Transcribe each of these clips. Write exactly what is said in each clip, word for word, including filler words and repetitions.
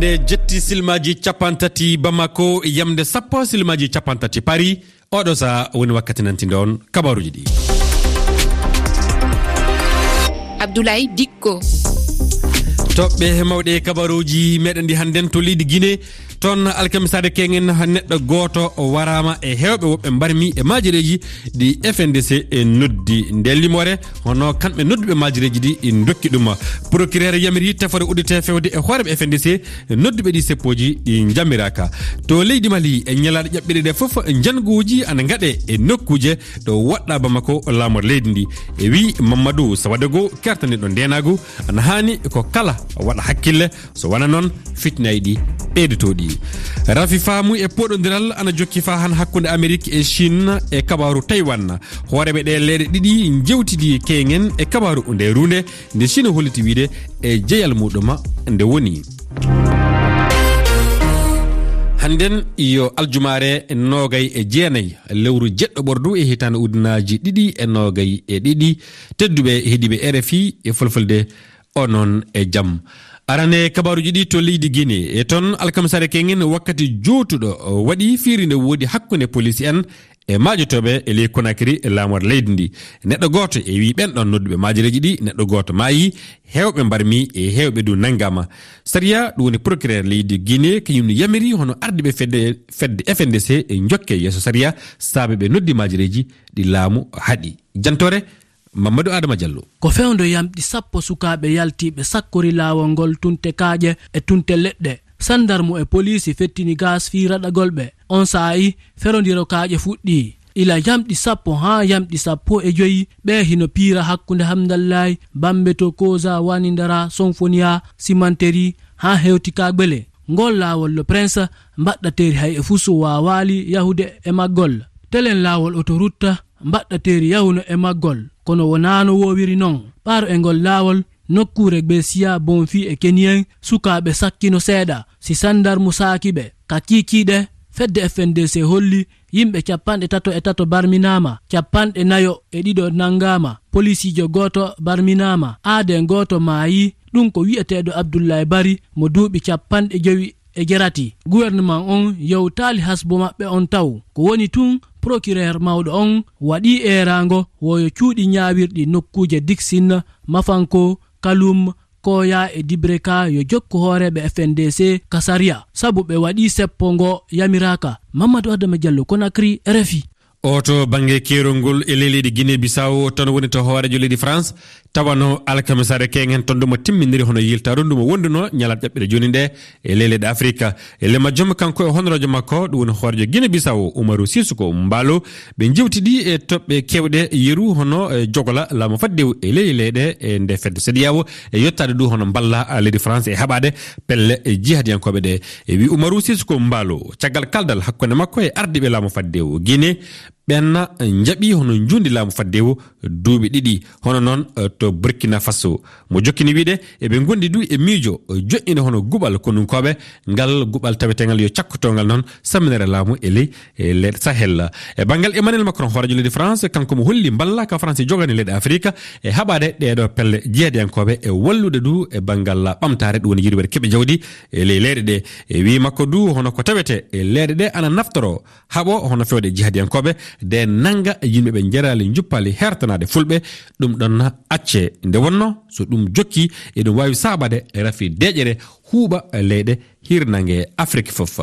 E jetti silmaaji cappanɗe tati Bamako, yamde sappo silmaaji cappanɗe tati Paris. Oɗo saha woni wakkati nantinde on kabaruuji ɗi. Abdoulaye Dikko. Toɓɓe mawɗe kabaruuji meɗen ɗi hannden to leydi Guinée. Toon alkamisaare keŋen neɗɗo gooto waraama e heewɓe woɓɓe mbarmi e maajireeji ɗi F N D C e noddi. Nde limoore hono kamɓe nodduɓe maajireeji ɗi ndokki ɗum. Procureur yamiri tefore uddite fewde e hooreɓe F N D C, nodduɓe ɗi seppooji ɗi njamiraaka. To leydi Mali e ñalaaɗe ƴaɓɓiɗe ɗe fof, njannguuji ana ngaɗe e nokkuuje ɗo woɗɗa Bamako laamor leydi ndi. E wi Mamadou Sawadego, kertaniɗo ndeenaagu, ana haani ko kala waɗa hakkille, so wona noon, fitnaaji ɗi ɓeydotooɗi. Rafi faamu e poɗondiral ana jokki faa han hakkunde Amerik e Chine e kabaaru Taiwan. Hooreeɓe ɗe leyɗe ɗiɗi njewtidi keŋen e kabaaru nde runde, nde Chine holliti wiide e jeyal muɗum nde woni. Hannden yo aljumaare noogay e jeenay lewru jeɗɗo ɓordu e hitaande ujunaaji ɗiɗi e noogay e ɗiɗi. Tedduɓe heɗiiɓe R F I e Fulfulde, onon e jam. Arane kabaaruuji ɗi to leydi Guinée. E toon alkamisaare keŋen wakkati jootuɗo waɗi fiiri nde woodi hakkunde poliisi en e maajotooɓe e ley Conakry e laamor leydi ndi. Neɗɗo gooto e wi ɓen ɗon nodduɓe maajireeji ɗi, neɗɗo gooto maayi, heewɓe mbarmi e heewɓe du nanngaama. Sariya, ɗum woni procureur leydi Guinée, kañum ne yamiri hono ardiiɓe fedde, fedde F N D C e njokke yeeso sariya, saabe ɓe noddi maajireeji ɗi laamu haɗi. Jantoore, Mamadou Adama Diallo. Ko fewndo yamɗi sappo sukaaɓe yaltiiɓe sakkori laawol ngol tunte kaaƴe e tunte leɗɗe. Sandarmu e poliisi fettini gaas fii raɗagol ɓe. On saa'i, ferondiro kaaƴe fuɗɗii. Ila yamɗi sappo haa yamɗi sappo e joyi, ɓe hino piira hakkunde Hamdallaay, Bambeto, Koza, Wanindara, Sonfoniya, Simanteri, haa hewti Kagbele. Ngol laawol Le Prince, mbaɗɗateri hay e fusu waawaali yahude e maggol. Telen laawol otorutta, mbaɗɗateri yahuno e maggol, kono wonaano woowiri non. Ɓaaro e ngol laawol, nokkuure Gbesiya, Bonfi e Keniyen, sukaaɓe sakkino seeɗa, si sandarmu saaki ɓe. Ka kiikiiɗe, fedde F N D C holli yimɓe capanɗe tato e tato barminaama, capanɗe nayo e ɗiɗo nanngaama, polisiijo gooto barminaama, aaden gooto maayi, ɗum ko wi'eteeɗo Abdullaay Bari mo duuɓi capanɗe jowi e jerati. Gouvernement on yewtaali hasbo maɓɓe on taw. Ko woni tun, procureur mawɗo on waɗii eeraango woyo cuuɗi ñaawirɗi nokkuuje Dixine, Mafanko, Kalum, Koya e Dibreka yo jokku hooreeɓe F N D C ka sariya, sabu ɓe waɗii seppo ngo yamiraaka. Mamadou Adama Diallo, Conakry, R F I. O to bannge keerol ngol e ley leydi Guinée Bissau, toon woni to hooreejo leydi France, tawano alkamisaare keŋen toon ndu mo timminiri hono yiltaaru ndu mo wonduno ñalaaɗe ƴaɓɓiɗe jooni nde e ley leyɗe Afrika. E ley majjum kanko e honoroojo makko, ɗum woni hooreejo Guinée Bissau, Umaru Sissoco Embaló, ɓe njewtidi e toɓɓe keewɗe yeru hono, e, jogola laamu faddewu e ley leyɗe e nde fedde CEDEAO e yettaade du hono mballa, a, leydi France e haɓaade pelle, e, jihadiyankooɓe ɗe. E wi Umaru Sissoco Embaló, caggal kaldal hakkunde makko e ardiiɓe laamu faddewu Guinée, ɓen njaɓi hono njuundi laamu faddewu duuɓi ɗiɗi, hono noon, eh, to Burkina Faso. Mo jokkini wiide, eɓe ngondi du e miijo, eh, joƴƴinde hono guɓal konunkooɓe, ngal guɓal tawetengal yo cakkotongal noon samminere laamu e ley, e leyɗe Sahel. E banngal Emmanuel Macron, hooreejo leydi France, kanko mo holli mballa ka France jogani leyɗe Afrika e haɓaade ɗeeɗo pelle jihadiyankooɓe e wallude du e banngal ɓamtaare, ɗum woni yirwere keɓe jawdi e ley leyɗe ɗe. E wii makko du, hono ko tawete e leyɗe ɗe ana naftoro haɓo hono fewde jihadiyankooɓe, de nannga yimɓe ɓe njeraali njuppaali hertanaade fulɓe, ɗum ɗon acce. Nde wonno, so ɗum jokki, eɗum waawi saabade rafi deeƴere huuɓa leyɗe hirnange Afrik fof.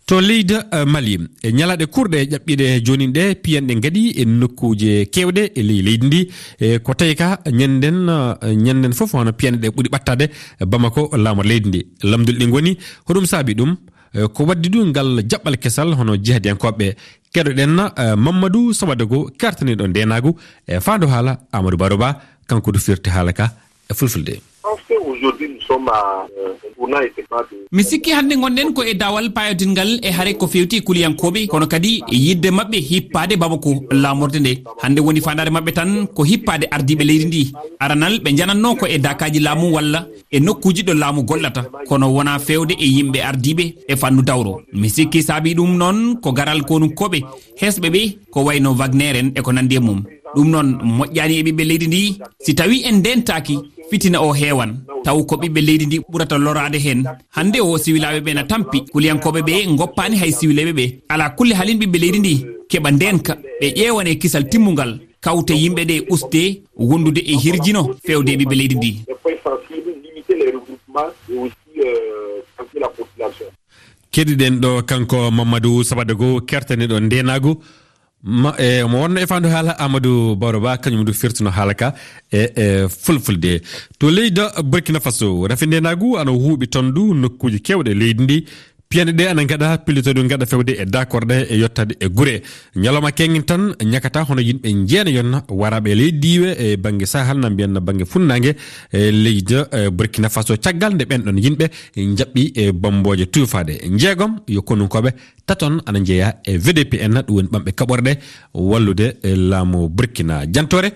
To leydi, eh, Mali, e ñalaaɗe kurɗe ƴaɓɓiiɗe jooni ɗe, piyanɗe ngaɗi e nokkuuje keewɗe e ley leydi ndi. E ko tawi ka ñannden, eh, ñannden fof hono piyanɗe ɗe ɓuri ɓattaade Bamako, laamor leydi ndi. Lamndulɗi ngoni, hoɗum saabi ɗum? Eh, ko waddi du ngal jaɓɓal kesal hono jihadiyankooɓe. Keɗoɗen, eh, Mamadou Sawadego, kertaniiɗo ndeenaagu e faandu haala Amadou Baro Ba, kanko du firti haala ka e fulfulde. Je pense qu'aujourd'hui, nous sommes à, euh, un tournant et c'est pas de Mi sikki hannde ngonɗen ko e daawal paayotingal e hare ko feewti e kuliyankooɓe, kono kadi e yiɗde maɓɓe hippaade Bamako laamorde nde. Hannde woni faandaare maɓɓe tan ko hippaade ardiiɓe leydi ndi. Aranal ɓe njanatno ko e daakaaji laamu walla e nokkuuji ɗo laamu gollata, kono wonaa feewde e yimɓe ardiiɓe e fannu dawro. Mi sikki saabii ɗum noon ko garal konunkooɓe hesɓe ɓe ko wayno Wagner en e ko nanndi e mum. Ɗum noon moƴƴaani e ɓiɓɓe leydi ndi. Si tawii en ndentaaki, fitina o heewan, taw ko ɓiɓɓe leydi ndi ɓurata loraade heen. Hannde o, siwilaaɓe ɓe na tampi, kuliyankooɓe ɓe ngoppaani hay siwilaaɓe ɓe. Alaa kulli haalin ɓiɓɓe leydi ndi keɓa ndeenka, ɓe ƴeewane kisal timmungal, kawte yimɓe ɗe uste wondude e hirjino feewde e ɓiɓɓe leydi ndi. Keɗiɗen ɗo kanko Mamadou Sabadago, kertaniiɗo ndeenaagu. Ma, e, mo wonno e faandu haala Amadou Baro Ba, kañum du firtuno haala ka e, e fulfulde. To leydi Burkina Faso, rafi ndeenaagu ana huuɓi toon du nokkuuji keewɗe leydi ndi. Piyanɗe ɗe ana ngaɗa pillitooɗe ngaɗa fewde e dakorɗe e yottade e gure. Ñalawma keŋŋen tan ñakata hono yimɓe jeena yon waraɓe leydi diiwe e bannge Sahel na mbiyan na bannge funnaange e leydi, e, Burkina Faso caggal nde ɓen ɗon yimɓe njaɓɓi e bammbooje tuufaade. Njeegom yo konunkooɓe taton ana njeeya e V D P N, ɗum woni ɓamɓe kaɓorɗe wallude, e, laamu Burkina. Jantoore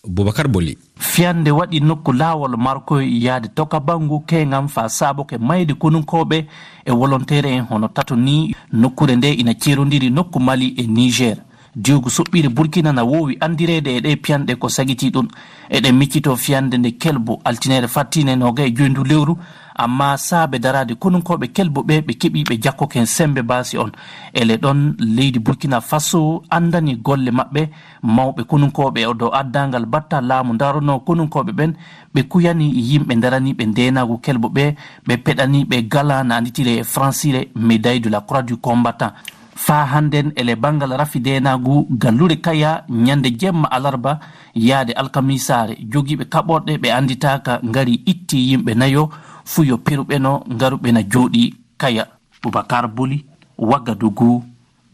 Boubacar Boli. Fiyande waɗi nokku laawol Markoy yaade Tokabangu keŋam faa saaboke mayde konunkooɓe e wolonteere en hono tato ni. Nokkuure nde ina ceerondiri nokku Mali e Niger. Diwgu soɓɓiire Burkina na woowi anndireede e ɗee piyanɗe ko sagitii ɗum. Eɗen miccitoo fiyande nde kelbu, altineere fattiinde noogay e joy ndu lewru, ammaa saabe daraade konunkooɓe kelbu ɓe, ɓe keɓii ɓe jakkoke heen semmbe baasi on. Ele ɗon, leydi Burkina Faso anndani golle maɓɓe, mawɓe konunkooɓe o dow addaangal batta laamu ndaronoo konunkooɓe ɓen, ɓe kuyani yimɓe daraniiɓe ndeenaagu kelbu ɓe, ɓe peɗani ɓe gala na annditiree e fransire médaille de la croix du combattant. Faa hannden ele banngal rafi ndeenaagu gallure Kaya ñande jemma alarba yaade alkamisaare, jogiiɓe kaɓorɗe ɓe annditaaka ngari itti yimɓe nayo, fuu yo peruɓe no ngaruɓe na jooɗii Kaya. Boubacar Boli, Ouagadougou,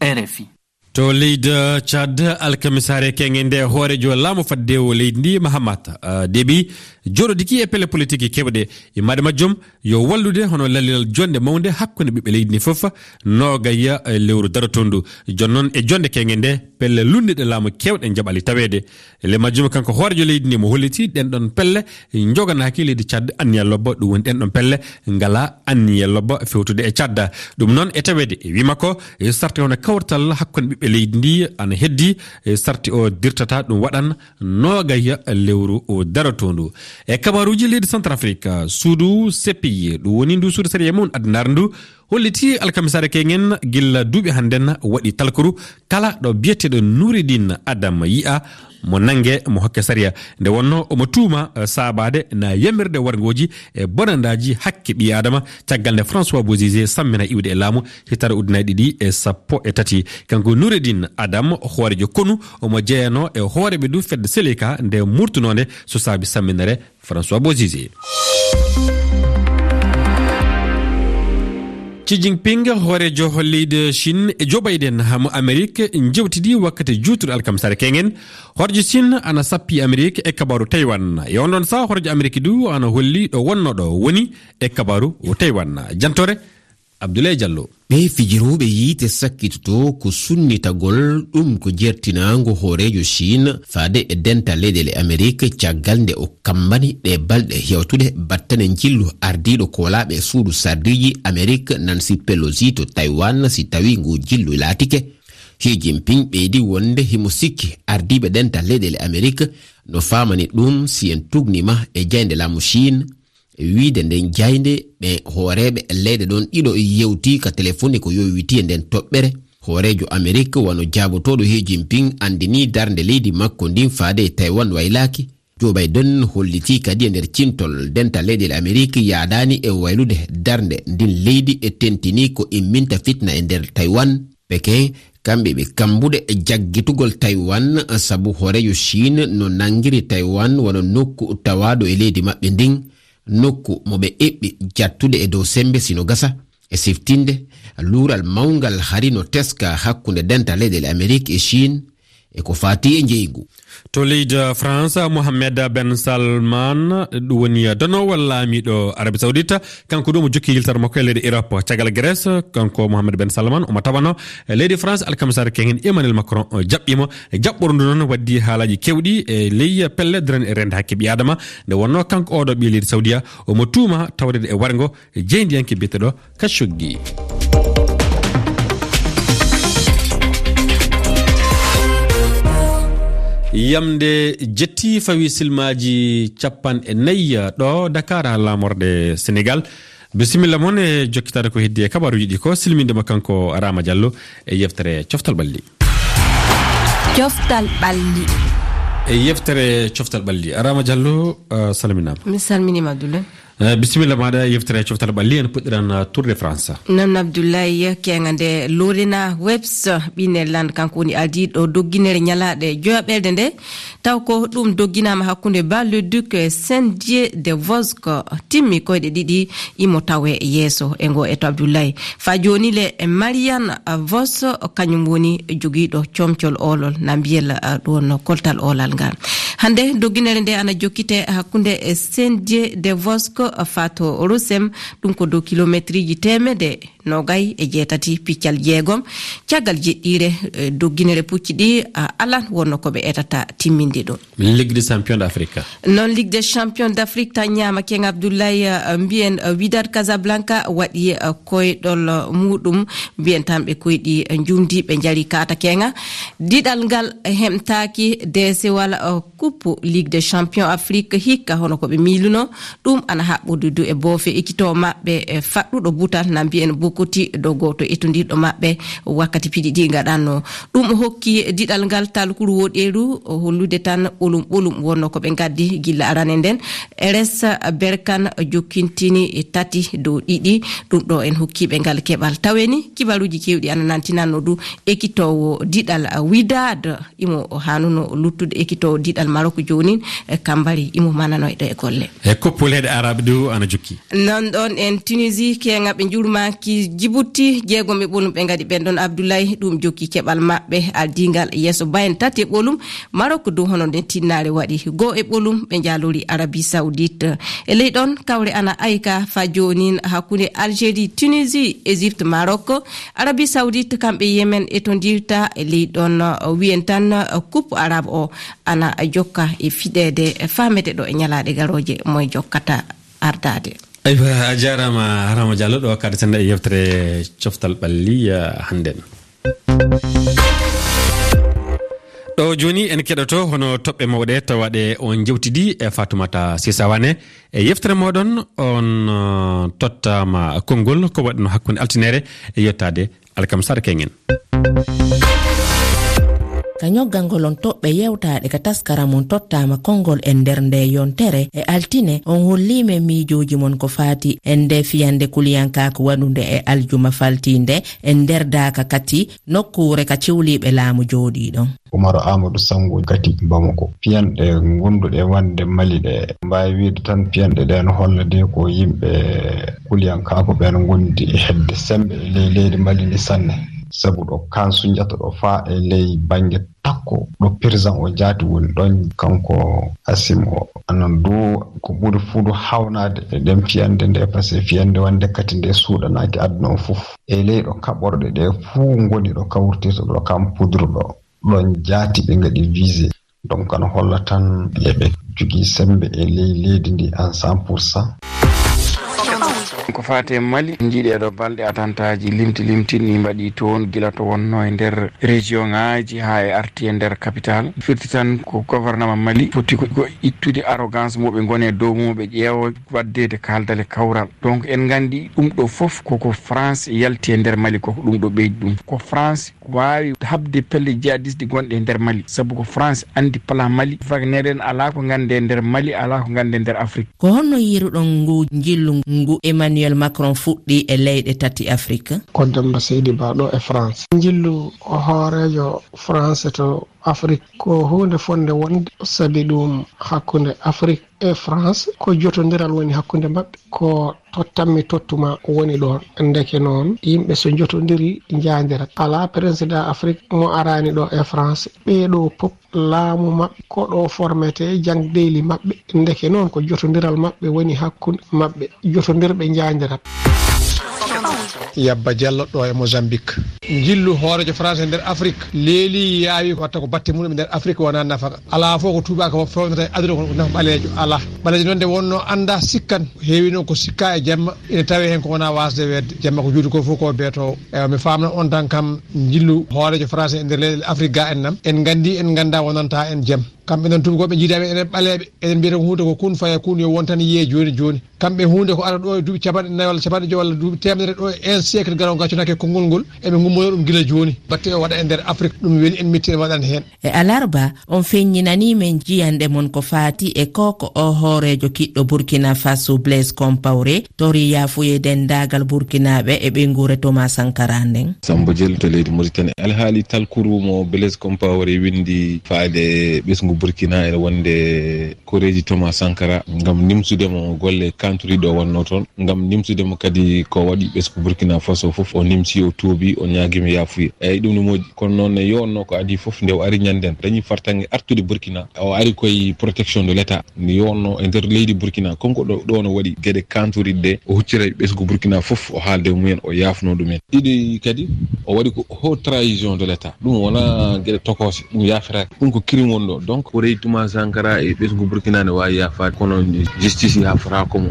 R F I. To leydi Tchad, alkamisaare keŋŋe nde hooreejo laamu faddeewo leydi ndi, Mahamat, ah, Déby, jooɗodiki e pelle politiki keewɗe. Immaade majjum, yo wallude hono lallilal jonnde mawnde hakkunde ɓiɓɓe leydi ndi fof, noogay e lewru darotoondu. Jooni noon e jonnde keŋŋe nde, pelle lunndiɗe laamu keewɗe njaɓali taweede. E ley majjum, kanko hooreejo leydi ndi mo holliti ɗen ɗon pelle njoganaaki leydi Tchad anniya lobba, ɗum woni ɗen ɗon pelle ngala anniya lobba fewtude e Tchad. Ɗum noon e taweede e wii makko, e sarti hono kawtal hakkunde ɓiɓɓe leydi ndi ana heddi, e sarti o dirtata ɗum waɗan noogay lewru o darotoondu. E kabaaruuji leydi Centrafrique, suudu C P I, ɗum woni ndu suudu sariya mum addinaare ndu, holliti alkamisaare keŋŋen gila duuɓi hannden waɗi talkuru kala ɗo biyeteeɗo Noureddine Adam yi'a mo nannge mo hokke sariya. Nde wonno omo tuuma, eh, saabaade na yamirde warngooji e bonandaaji hakke ɓii Aadama caggal nde François Bozizé sammina iwde e laamu hitaande ujunnaji ɗiɗi e sappo e tati. Kanko Noureddine Adam, hooreejo konu, omo jeyanoo e hooreeɓe du fedde Seleka nde murtunoonde so saabi samminere François Bozizé. Xi Jinping, hooreejo leydi Chine, e Joe Biden mo Amerik njewtidi wakkati juutuɗo alkamisaare keŋŋen. Hooreejo Chine ana sappi Amerik e kabaaru Taiwan. E on ɗon saha hooreejo Amerik du ana holli ɗo wonnoɗo woni e kabaaru Taiwan. Jantore Abdoulaye Diallo. Ɓee fijirooɓe yiite sakkitoto ko sunnitagol ɗum ko jertinaango hooreejo Chine faade e dental leyɗeele Amerik caggal nde o kammbani ɗee balɗe hewtuɗe battane njillu ardiiɗo koolaaɓe suudu sardiiji Amerik Nancy Pelosi to Taiwan si tawii ngu jillu laatike. Xi Jinping ɓeydi wonde himo sikki ardiiɓe dental leyɗeele Amerik no faamani ɗum si en tugnima e jaynde laamu Chine, e wiyde nden jaynde, ɓe hooreeɓe leyɗe ɗon ɗiɗo yewti ka telefoni ko yowiti e nden toɓɓere. Hooreejo Amerik wano jaabotooɗo Xi Jinping anndinii darnde leydi makko ndin faade e Taiwan waylaaki. Joe Biden hollitii kadi e nder cintol dental leyɗeele Amerik yaadaani e waylude darnde ndin leydi e tentinii ko imminta fitna e nder Taiwan. Pekin, kamɓe ɓe kambuɗe e jaggitugol Taiwan sabu hooreejo Chine no nanngiri Taiwan wano nokku tawaaɗo e leydi maɓɓe ndin, nokku mo ɓe eɓɓi jattude e dow semmbe sino gasa. E siftinde, luural mawngal hari no teska hakkunde dental leyɗeele Amerik e Chine e ko faati e njeygu. To leydi France, Mohammed Ben Salman, ɗum woni donoowo laamiiɗo Arabie Saoudite, kanko ɗum o jokki yiltere makko e leyɗe Europe. Caggal Grèce, kanko Mohammed Ben Salman omo tawano e leydi France, alkamisaare keŋŋen Emmanuel Macron o jaɓɓiimo. Jaɓɓordu noon waddi haalaaji keewɗi e ley pelle daraniiɗe reende hakke ɓii Aadama. Nde wonnoo kanko ooɗo ɓii leydi Saoudia, omo tuuma tawreede e warngo e jeyndiyanke biyeteeɗo Khashoggi. Yamde jetti fawi silmaaji capanɗe nayi ɗo Dakar, haa laamorde Senegal. Bisimilla mon e jokkitaade ko heddi e kabaaruuji ɗi ko silminde mo kanko Rama Diallo e yeftere Coftal Ɓalli. Coftal Ɓalli. E yeftere Coftal Ɓalli. Rama Diallo, eh, salminaama. Mi salminiima, Abdoulaye. Eh, bisimilla maaɗa, yeftere Coftal Ɓalli, en puɗɗiran, eh, Tour de France. Noon, Abdoulaye, keeŋa nde Lorena Webs, ɓinnel lan, kanko woni ardiiɗo dogginere ñalaaɗe joyaɓerde nde, taw ko ɗum dogginaama hakkunde Bar-le-Duc e Saint-Dié-de-Vosges, timmi koyɗe ɗiɗi, imo tawe yeeso e ngo eto, Abdoulaye. Faa jooni le, Marianne Vos, kañum woni jogiiɗo comcol oolol, na mbiyel, eh, ɗum wonno koltal oolal ngal. Hannde, dogginere nde ana jokkite hakkunde, eh, Saint-Dié de Vosges, eh, faa to Rosem, ɗum ko dow kilometriji teemedde noogay e jeetati piccal jeegom. Caggal jeɗɗiire, eh, dogginere pucci ɗi, ah, alan wonno ko ɓe etata timminde ɗum. Ligue des champions d'Afrique. Noon, Ligue des champions d'Afrique taññaama, King Abdoulaye, eh, mbiyen, eh, Wydad Casablanca waɗi, eh, koyɗol, eh, muɗum, mbiyen tan ɓe koyɗi, eh, njumdi, ɓe njari kaata keeŋa. Diɗal ngal hemtaaki deesewal, eh, Coupe Ligue des Champions Afrique hikka hono ko ɓe miiluno. Ɗum ana haɓɓude du e boofe ekitoo maɓɓe, eh, faɗɗuɗo butal, na mbiyen Bokoti, ɗo gooto etondirɗo maɓɓe wakkati piɗi ɗi gaɗanno. Ɗum hokki diɗal ngal Talkuru Woɗeeru hollude tan ɓolum ɓolum wonno ko ɓe ngaddi gilla arane nden. Eres Berkan jokkintini tati dow ɗiɗi. Ɗum ɗo en hokkiiɓe ngal keɓal. Taweni kibaruuji keewɗi ana nantinanno du ekitoowo diɗal Wydad. Imo haanuno luttude ekitoowo diɗal Marok joonin, eh, Kambari imo mananoyɗo e golle. E koppu leyɗe Arab du ana jokki. Non ɗon en Tunisie, keeŋa ɓe njulmaaki Djibouti, jeegom e ɓolum ɓe ngaɗi ɓen ɗon Abdoulaye, ɗum jokki keɓal maɓɓe, ardingal yeeso bayen tati e ɓolum, Maroc du hono nden tinnaare waɗi, go e ɓolum ɓe njaalori Arabie Saoudite. E ley ɗon, kawre ana ayka fa joonin hakkunde Algérie, Tunisie, Égypte, Maroc. Arabie Saoudite kamɓe Yemen e to ndirta e ley ɗon, uh, wiyen tan, uh, coupe arabe o ana jokka e fiɗeede, uh, faamete ɗo e ñalaaɗe garooje moye jokkata ardaade. Aywa, a jaaraama, Rama Diallo, ɗo kaɗaten e yewtere Coftal Ɓalli, uh, hannden. Ɗo jooni en keɗoto hono toɓɓe mawɗe tawaɗe on jewtidi e Fatoumata Sisa Wane. E yeftere mooɗon, on, uh, tottaama konngol ko waɗno hakkunde altinere e yottaade alkamsare keŋen. Ka ñoggangol on toɓɓe yewtaaɗe ka taskara mon tottaama konngol e nder nde yontere e altine, on hollii men miijooji mon ko faati e nde fiyande kuliyankaaku waɗunde e aljuma faltiinde e nder daaka kati nokkuure ka ciwliiɓe laamu jooɗii ɗon. Umaru Aamadu Sanngo Gati Bamako. Piyanɗe ngonduɗe wonde Mali ɗe, mbaawi wiide tan piyanɗe ɗe no holla de ko yimɓe kuliyankaaku ɓen ngondi e heɓde semmbe e ley leydi Mali ndi sanne. Sabu ɗo Kan Sunjata ɗo faa e ley bannge takko ɗo président o jaati woni ɗon, kanko Asim o. Anan du ko ɓuri fuu du hawnaade e ɗen fiyande nde, parce que fiyande wonde kati nde suuɗanaaki aduna o fof. E ley ɗo kaɓorɗe ɗe fuu ngoni ɗo kawriteeɗo ɗo Kan Pudru ɗo. Ɗon jaati ɓe ngaɗi visé. Donc, no holla tan eɓe jogii semmbe e ley leydi ndi en cent pour cent. Ko faati e Mali, njiiɗi e ɗo balɗe atantaaji limti limtinɗi mbaɗi toon, gila to wonno e nder région ŋaaji haa e arti e nder capital. Firti tan ko gouvernement Mali foti ko, ko ittude arrogance mo ɓe ngoni e dow mum, ɓe ƴeewa waɗdeede kaaldale kawral. Donc, en nganndi ɗum ɗo fof koko France yalti e nder Mali, koko ɗum ɗo ɓeydi ɗum. Ko France waawi haɓde pelle jihadiste gonɗe e nder Mali, sabu ko France anndi plan Mali. Wagner en alaa ko nganndi e nder Mali, alaa ko nganndi e nder Afrique. Ko honno yiiruɗon ngu njillu ngu Emmanuel Macron fuɗɗi e leyɗe tati Afrique? Ko Demba Seydi Ba ɗo e France. Njillu hooreejo France to Afrique ko huunde fotnde wonde, sabi ɗum hakkunde Afrique e France ko jotondiral woni hakkunde maɓɓe. Ko tottammi tottuma woni ɗoon. Ndeke noon, yimɓe so njotondiri njaandirat. Alaa président Afrique mo araani ɗo e France. Ɓee ɗoo pop laamu maɓɓe ko ɗo formete jangdeeli maɓɓe. Ndeke noon ko jotondiral maɓɓe woni hakkunde maɓɓe. Jotondirɓe njaandirat. Yabba Jallo ɗo e Mozambique. Njillu hooreejo France e nder Afrique leeli yaawi ko watta ko batte muɗum e nder Afrique wona nafaka. Alaa fof ko tuubaaka fof fewnata e aduna ko nafa ɓaleejo alaa. Ɓaleejo noon nde wonno annda sikkan, heewi noon ko sikka e jamma, ina tawe heen ko wona wasde weedde. Jamma ko juuti ko fof ko beetoowo. Eywa, mi faamna on tan kam njillu hooreejo France e nder leyɗe Afrique ga en nam. En nganndi, en ngannda wonanta en jam. Kamɓe noon tuubakooɓe njiidaɓe enen ɓaleeɓe, eɗen mbiyata ko huunde ko kun faya kun, yo won tan yiye jooni jooni. Kamɓe huunde ko ara ɗo e duuɓi capanɗe nayi walla capanɗe joyi walla duuɓi teemedere ɗo e un siècle garowo gaccunaake konngol ngol, eɓe ngummono ɗum gila jooni. Batte o waɗa e nder Afrique, ɗum weli en, metti en waɗan heen. E alarba, on feññinanii men jiyanɗe mon ko faati e ko ko o hooreejo kiɗɗo Burkina Faso Blaise Compaoré tori yaafuye denndaangal Burkinaaɓe e ɓeynguure Thomas Sankara nden. Sambo Jel to leydi Mauritanie. Alhaali talkuru mo Blaise Compaoré winndi faade ɓesngu Burkina ene wonde koreeji Thomas Sankara ngam nimsude mo golle kanturiɗo o wonno toon, ngam nimsude mo kadi ko waɗi ɓesngu Burkina Faso fof, o nimsi, o tuubi, o ñaagima yaafuye. Eyyi, ɗum ne moƴƴi. Kono noon ne yowonno ko adii fof nde o ari ñannden, dañi fartaŋŋe artude Burkina. O ari koye protection de l'État. Nde yowonno e nder leydi Burkina, comme ko ɗo, ɗo no waɗi geɗe kanturiɗe ɗe, o huccita e ɓesngu Burkina fof, o haalda e mumen, o yaafno ɗumen. Ɗiɗi kadi, o waɗi ko haute trahison de l'État. Ɗum wona geɗe tokoose, ɗum yaafetaake. Ɗum ko crime woni ɗo. Donc, ko reyi Thomas Sankara e ɓesngu Burkina ne waawi yaafaade, kono justice yaafataako mo.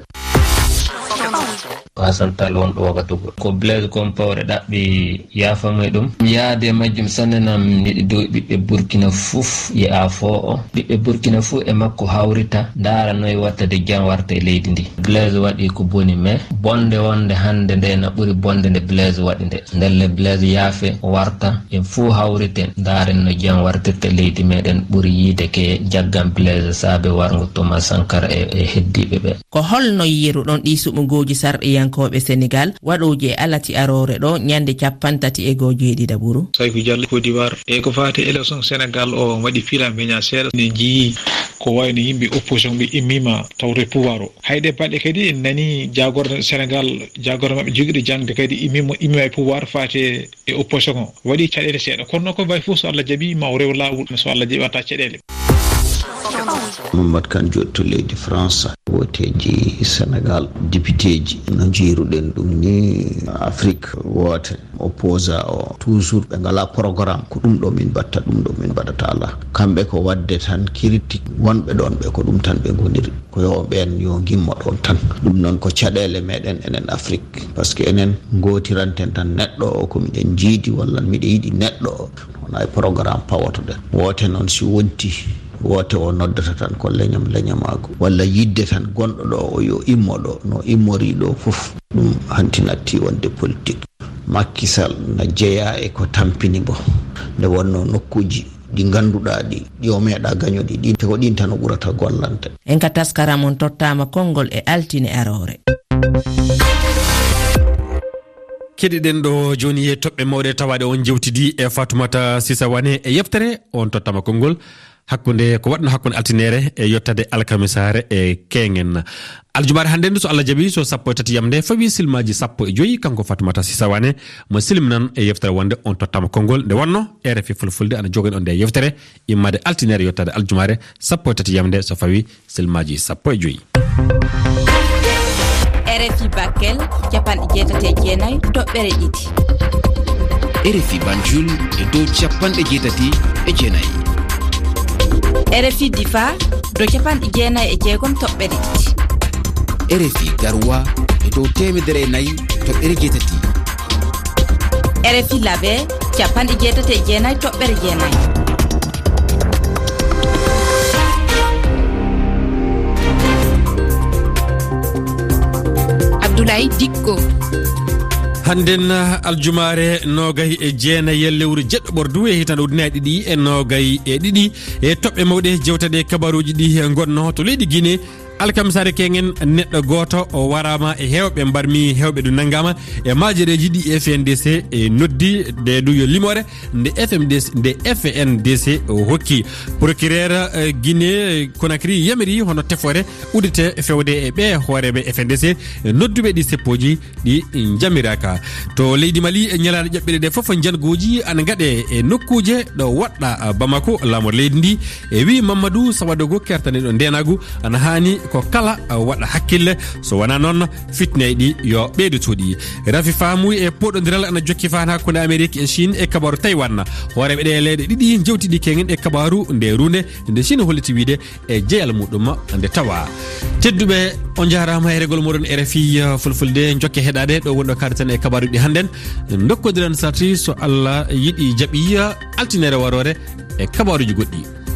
Pasantal wonɗo Wagadugu. Ko Blaise Compaoré ɗaɓɓi yaafa mo e ɗum. Mi yaade majjum sanne nam miɗi dow ɓiɓɓe Burkina fof ye a fo o. Ɓiɓɓe Burkina fof e makko hawrita, ndaara noy watta de jam warta e leydi ndi. Blaise waɗi ko boni, mais bonde wonde hannde nde na ɓuri bonde nde Blaise waɗi nde. Ndelle Blaise yaafe warta, en fof hawriten, ndaaren no jam wartirta leydi meɗen ɓuri yiide ke jaggan Blaise saabe warngo Thomas Sankara e, e heddiiɓe ɓe. Ko holno yiiruɗon ɗii suɓngooji sarɗiyankooɓe Senegaal waɗooji e alati aroore ɗo ñande cappanɗe tati e goo jeeɗiɗaɓuru? Sayku Jallo, Côte d'Ivoire. E ko faati élection Senegaal o waɗi fiila meña seeɗa. Ne njiyii ko wayi no yimɓe opposition ɓe immiima tawde pouvoir o. Hay ɗe balɗe kadi en nanii jaagorɗe Senegaal, jaagorɗe maɓɓe jogiiɗo jaŋde kadi immiima, immiima e pouvoir faati e opposition o. Waɗi caɗeele seeɗa. Kono noon ko mbayi fof so Allah jaɓii ma o rew laawol so Allah jaɓii watta caɗeele. Mamadou Kane Diop to leydi France. Wooteeji Senegaal, depiteeji, no njiiruɗen ɗum ni, Afrique woote, opposant o, toujours ɓe ngalaa programme, ko ɗum ɗo min mbaɗta, ɗum ɗo min mbaɗata alaa. Kamɓe ko waɗde tan critique, wonɓe ɗoon ɓe ko ɗum tan ɓe ngoniri. Ko yo ɓeen yo ngimmo ɗoon tan. Ɗum noon ko caɗeele meɗen enen Afrique. Par ce que enen ngootiranten tan neɗɗo o ko miɗen njiidi walla miɗo yiɗi neɗɗo o. Wona e programme pawotoɗen. Woote noon si wonti, woote o noddata tan ko leñam leñamaagu. Walla yiɗde tan gonɗo ɗo o yo immo ɗo, no immori ɗo fof. Ɗum hanti natti wonde politique. Macky Sall na jeyaa e ko tampini mbo. Nde wonno nokkuuji ɗi ngannduɗaa ɗi, ɗi o meeɗa gañude ɗin, te ko ɗin tan o ɓurata gollande. En ka taskaram on tottaama konngol e altine aroore. Keɗiɗen ɗo jooni e toɓɓe mawɗe tawaaɗe on jewtidi e Fatoumata Sisa Wane e yeftere on tottama konngol hakkunde, ko waɗno hakkunde altinere e yottade alkamisaare e keŋen. Aljumaare hannde ndu, so Allah jaɓi, so sappo e tati yamde fawi silmaaji sappo e joyi, kanko Fatoumata Sisa Wane mo silminan e yeftere wonde on tottama konngol. Nde wonno R F I Fulfulde ana jogani on nde yeftere immade altinere yottade aljumaare sappo e tati yamde so fawi silmaaji sappo e joyi. R F I Bakel, capanɗe jeetati e jeenayi toɓɓere ɗiɗi. R F I Banjul e dow capanɗe jeetati e jeenayi. R F I Difa, dow capanɗe jeenayi e jeegom toɓɓere ɗiɗi. R F I Garoua e dow teemedere e nayi toɓɓere jeetati. R F I Labe, capanɗe jeetati e jeenayi toɓɓere jeenayi. Abdoulaye Dikko. Hannden aljumaare noogay e jeenayi e lewru jeɗɗo ɓordu e hitande ujunere ɗiɗi e noogay e ɗiɗi, e toɓɓe mawɗe jewtaɗe kabaruuji ɗi ngonno to leydi Guinée. Alkamisaare keŋen neɗɗo gooto o waraama e heewɓe mbarmi heewɓe ɗum nanngaama e maajereeji ɗi F N D C e noddi nde du yo limoore nde F M D C, nde F N D C o hokki. Procureur, eh, Guinée Conakry yamiri hono tefoore uddite fewde e ɓe hooreeɓe F N D C nodduɓe ɗi seppooji ɗi njamiraaka. To leydi Mali, e ñalaaɗe ƴaɓɓiɗe ɗe fof, njanngooji ana ngaɗe e nokkuuje ɗo woɗɗa Bamako, laamor leydi ndi, e wii Mamadou Sawadogo kertaniiɗo ndeenaagu ana haani Ko kala waɗa hakkille, so wonaa noon, fitneeji ɗi yo ɓeydo cuuɗi. Rafi faamuy e poɗondiral ana jokki faan hakkunde Amerik e Chine e kabaru Taiwan. Hooreeɓe ɗe leyɗe ɗiɗi njewtidi kengen e kabaru nde runde nde Chine holliti wiide e jeyal muɗum nde tawa. Tedduɓe, on njaaraama e regol moɗon R F I Fulfulde, jokke heɗaade ɗo wonɗo kaarten e kabaruji ɗi hannden. Ndokkodiren sarti so Allah yiɗi jaɓi altinere warore e kabaruji goɗɗi.